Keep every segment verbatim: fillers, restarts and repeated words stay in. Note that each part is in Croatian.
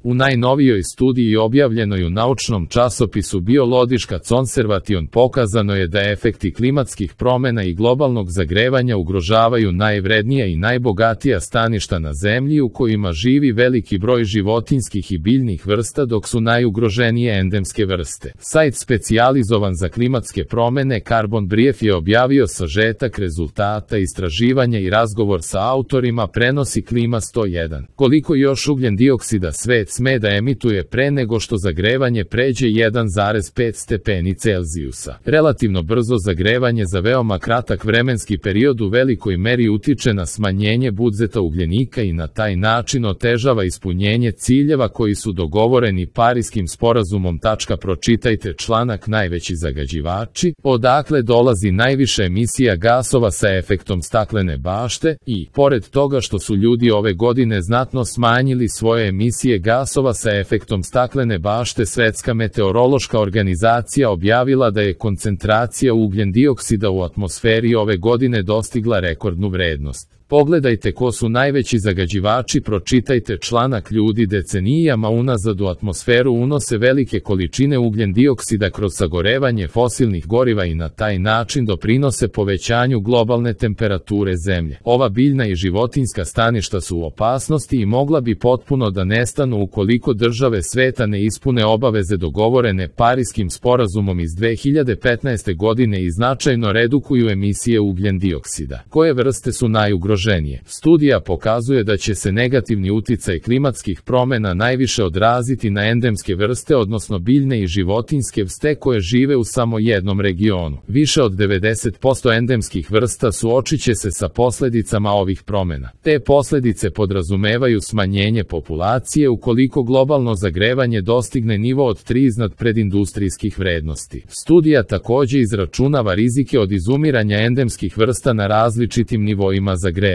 U najnovijoj studiji objavljenoj u naučnom časopisu Biological Conservation pokazano je da efekti klimatskih promjena i globalnog zagrevanja ugrožavaju najvrednija i najbogatija staništa na Zemlji u kojima živi veliki broj životinjskih i biljnih vrsta dok su najugroženije endemske vrste. Sajt specijalizovan za klimatske promjene Carbon Brief je objavio sažetak rezultata istraživanja i razgovor sa autorima prenosi Klima sto jedan. Koliko još ugljen dioksida svet sme da emituje pre nego što zagrevanje pređe jedan zarez pet stepeni Celzijusa. Relativno brzo zagrevanje za veoma kratak vremenski period u velikoj meri utiče na smanjenje budzeta ugljenika i na taj način otežava ispunjenje ciljeva koji su dogovoreni Pariskim sporazumom. Pročitajte članak Najveći zagađivači, odakle dolazi najviše emisija gasova sa efektom staklene bašte i, pored toga što su ljudi ove godine znatno smanjili svoje emisije gasova sa efektom staklene bašte, Svetska meteorološka organizacija objavila da je koncentracija ugljen dioksida u atmosferi ove godine dostigla rekordnu vrednost. Pogledajte ko su najveći zagađivači, pročitajte članak. Ljudi decenijama unazad u atmosferu unose velike količine ugljen dioksida kroz sagorevanje fosilnih goriva i na taj način doprinose povećanju globalne temperature Zemlje. Ova biljna i životinjska staništa su u opasnosti i mogla bi potpuno da nestanu ukoliko države sveta ne ispune obaveze dogovorene Pariskim sporazumom iz dve hiljade petnaeste. godine i značajno redukuju emisije ugljen dioksida. Koje vrste su najugroženije? Studija pokazuje da će se negativni uticaj klimatskih promjena najviše odraziti na endemske vrste, odnosno biljne i životinjske vrste koje žive u samo jednom regionu. Više od devedeset posto endemskih vrsta suočiće se sa posljedicama ovih promjena. Te posljedice podrazumevaju smanjenje populacije ukoliko globalno zagrevanje dostigne nivo od tri iznad predindustrijskih vrednosti. Studija također izračunava rizike od izumiranja endemskih vrsta na različitim nivoima zagrevanja.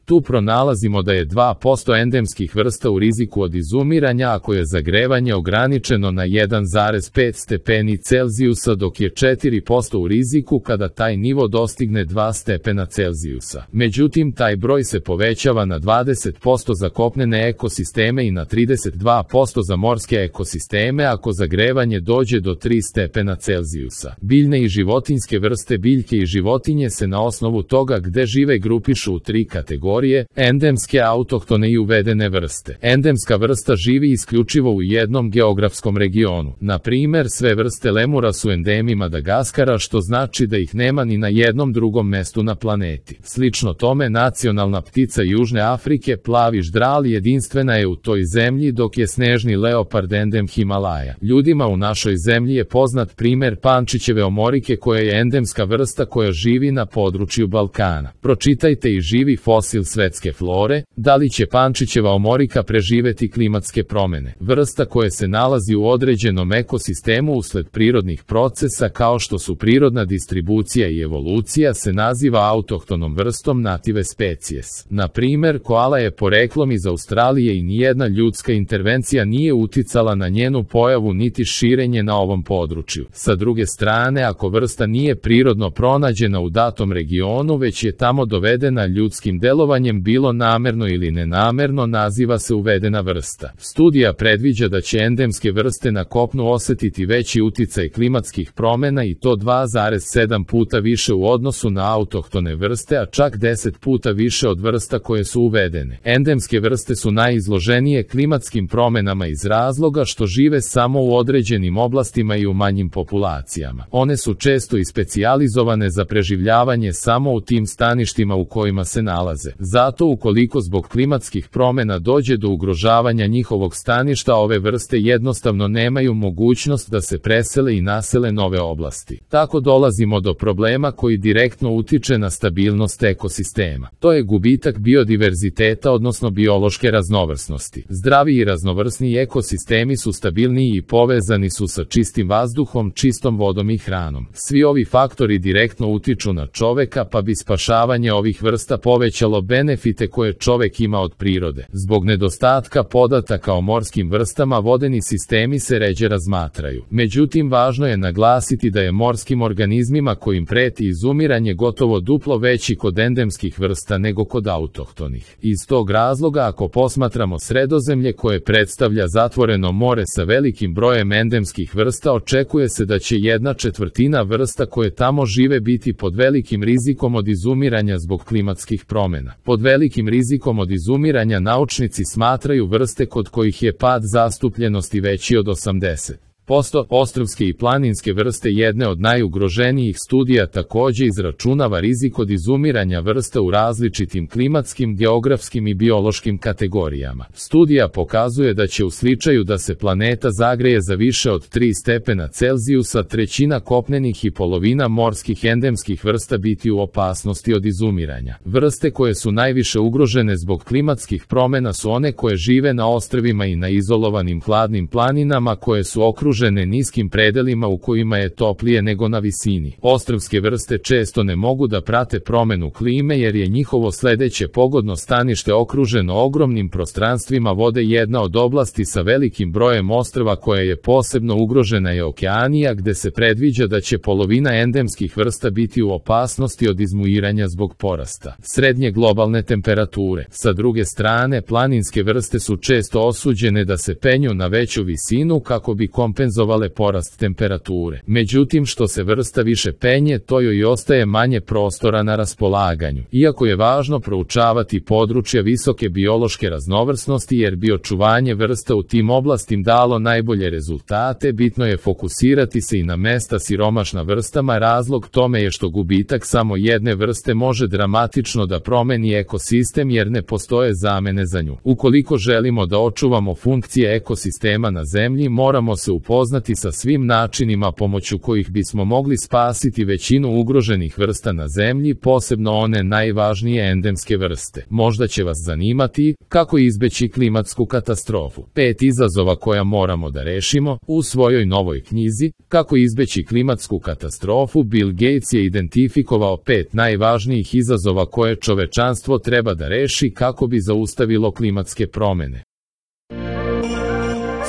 Tu pronalazimo da je dva posto endemskih vrsta u riziku od izumiranja ako je zagrevanje ograničeno na jedan zarez pet stepeni Celzijusa, dok je četiri posto u riziku kada taj nivo dostigne dva stepena Celzijusa. Međutim, taj broj se povećava na dvadeset posto za kopnene ekosisteme i na trideset dva posto za morske ekosisteme ako zagrevanje dođe do tri stepena Celzijusa. Biljne i životinjske vrste, biljke i životinje se na osnovu toga gde žive grupišu u tri kategorije: endemske, autohtone i uvedene vrste. Endemska vrsta živi isključivo u jednom geografskom regionu. Na primer, sve vrste lemura su endemi Madagaskara, što znači da ih nema ni na jednom drugom mestu na planeti. Slično tome, nacionalna ptica Južne Afrike, plavi ždral, jedinstvena je u toj zemlji, dok je snežni leopard endem Himalaja. Ljudima u našoj zemlji je poznat primer pančićeve omorike koja je endemska vrsta koja živi na području Balkana. Pročitajte i živi fosil svetske flore. Da li će pančićeva omorika preživeti klimatske promjene? Vrsta koja se nalazi u određenom ekosistemu usled prirodnih procesa kao što su prirodna distribucija i evolucija se naziva autohtonom vrstom, native species. Na primer, koala je poreklom iz Australije i nijedna ljudska intervencija nije uticala na njenu pojavu niti širenje na ovom području. Sa druge strane, ako vrsta nije prirodno pronađena u datom regionu, već je tamo dovedena ljudskim delovanjem, bilo namerno ili nenamerno, naziva se uvedena vrsta. Studija predviđa da će endemske vrste na kopnu osetiti veći uticaj klimatskih promjena i to dva zarez sedam puta više u odnosu na autohtone vrste, a čak deset puta više od vrsta koje su uvedene. Endemske vrste su najizloženije klimatskim promjenama iz razloga što žive samo u određenim oblastima i u manjim populacijama. One su često i specijalizovane za preživljavanje samo u tim staništima u kojima se nalaze. Zato ukoliko zbog klimatskih promjena dođe do ugrožavanja njihovog staništa, ove vrste jednostavno nemaju mogućnost da se presele i nasele nove oblasti. Tako dolazimo do problema koji direktno utiče na stabilnost ekosistema. To je gubitak biodiverziteta, odnosno biološke raznovrsnosti. Zdravi i raznovrsni ekosistemi su stabilniji i povezani su sa čistim vazduhom, čistom vodom i hranom. Svi ovi faktori direktno utiču na čoveka, pa bi spašavanje ovih vrsta povećalo benefite koje čovek ima od prirode. Zbog nedostatka podataka o morskim vrstama vodeni sistemi se ređe razmatraju. Međutim, važno je naglasiti da je morskim organizmima kojim preti izumiranje gotovo duplo veći kod endemskih vrsta nego kod autohtonih. Iz tog razloga, ako posmatramo Sredozemlje koje predstavlja zatvoreno more sa velikim brojem endemskih vrsta, očekuje se da će jedna četvrtina vrsta koje tamo žive biti pod velikim rizikom od izumiranja zbog klimatskih promjena. Pod velikim rizikom od izumiranja naučnici smatraju vrste kod kojih je pad zastupljenosti veći od osamdeset posto. Ostrvske i planinske vrste, jedne od najugroženijih, studija takođe izračunava rizik od izumiranja vrsta u različitim klimatskim, geografskim i biološkim kategorijama. Studija pokazuje da će u slučaju da se planeta zagreje za više od tri stepena Celzijusa, trećina kopnenih i polovina morskih endemskih vrsta biti u opasnosti od izumiranja. Vrste koje su najviše ugrožene zbog klimatskih promjena su one koje žive na ostrvima i na izolovanim hladnim planinama koje su okružene niskim predelima u kojima je toplije nego na visini. Ostrvske vrste često ne mogu da prate promenu klime jer je njihovo sledeće pogodno stanište okruženo ogromnim prostranstvima vode. Jedna od oblasti sa velikim brojem ostrva koja je posebno ugrožena je Okeanija, gde se predviđa da će polovina endemskih vrsta biti u opasnosti od izmuiranja zbog porasta srednje globalne temperature. Sa druge strane, planinske vrste su često osuđene da se penju na veću visinu kako bi kompenzovale porast temperature. Međutim, što se vrsta više penje, to joj i ostaje manje prostora na raspolaganju. Iako je važno proučavati područja visoke biološke raznovrsnosti jer bi očuvanje vrsta u tim oblastima dalo najbolje rezultate, bitno je fokusirati se i na mesta siromašna vrstama. Razlog tome je što gubitak samo jedne vrste može dramatično da promeni ekosistem jer ne postoje zamene za nju. Ukoliko želimo da očuvamo funkcije ekosistema na Zemlji, moramo se upoznati sa svim načinima pomoću kojih bismo mogli spasiti većinu ugroženih vrsta na Zemlji, posebno one najvažnije endemske vrste. Možda će vas zanimati kako izbeći klimatsku katastrofu. Pet izazova koja moramo da rešimo. U svojoj novoj knjizi Kako izbeći klimatsku katastrofu, Bill Gates je identifikovao pet najvažnijih izazova koje čovečanstvo treba da reši kako bi zaustavilo klimatske promjene.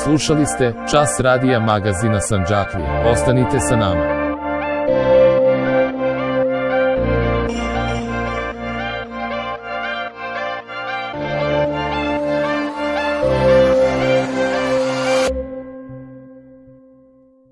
Slušali ste Čas radija magazina Sandžaklija. Ostanite sa nama.